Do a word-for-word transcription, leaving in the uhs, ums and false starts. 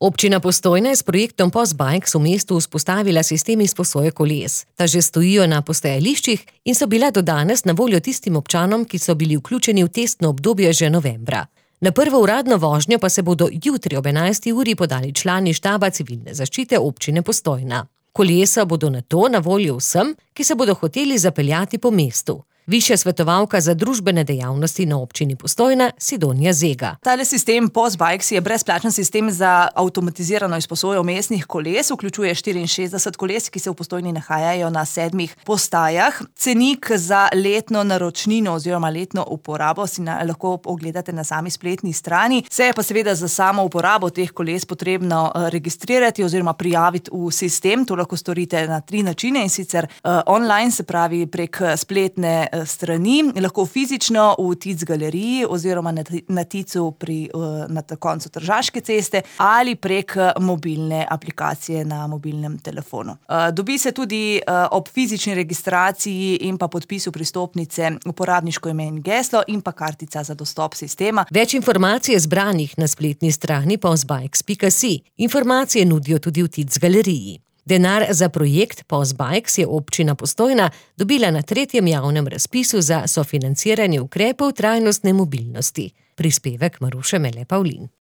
Občina Postojna je s projektom Postbikes v mestu vzpostavila sistem izposoje koles. Ta že stojijo na postajališčih in so bila do danes na voljo tistim občanom, ki so bili vključeni v testno obdobje že novembra. Na prvo uradno vožnjo pa se bodo jutri ob enajsti uri podali člani štaba civilne zaščite občine Postojna. Kolesa bodo nato na voljo vsem, ki se bodo hoteli zapeljati po mestu. Višja svetovalka za družbene dejavnosti na občini Postojna, Sidonja Zega. Tale sistem Postbikes je brezplačen sistem za avtomatizirano izposojo mestnih koles, vključuje štiriinšestdeset koles, ki se v Postojni nahajajo na sedmih postajah. Cenik za letno naročnino oziroma letno uporabo si na, lahko ogledate na sami spletni strani. Se je pa seveda za samo uporabo teh koles potrebno registrirati oziroma prijaviti v sistem. To lahko storite na tri načine, in sicer uh, online, se pravi prek spletne strani, lahko fizično v Tic galeriji oziroma na, na Ticu pri, na koncu Tržaške ceste ali prek mobilne aplikacije na mobilnem telefonu. Dobi se tudi ob fizični registraciji in pa podpisu pristopnice uporabniško ime in geslo in pa kartica za dostop sistema. Več informacij je zbranih na spletni strani postbikes pika si. Informacije nudijo tudi v Tic galeriji. Denar za projekt Postbikes je občina Postojna dobila na tretjem javnem razpisu za sofinanciranje ukrepov trajnostne mobilnosti. Prispevek Maruše Mele Pavlin.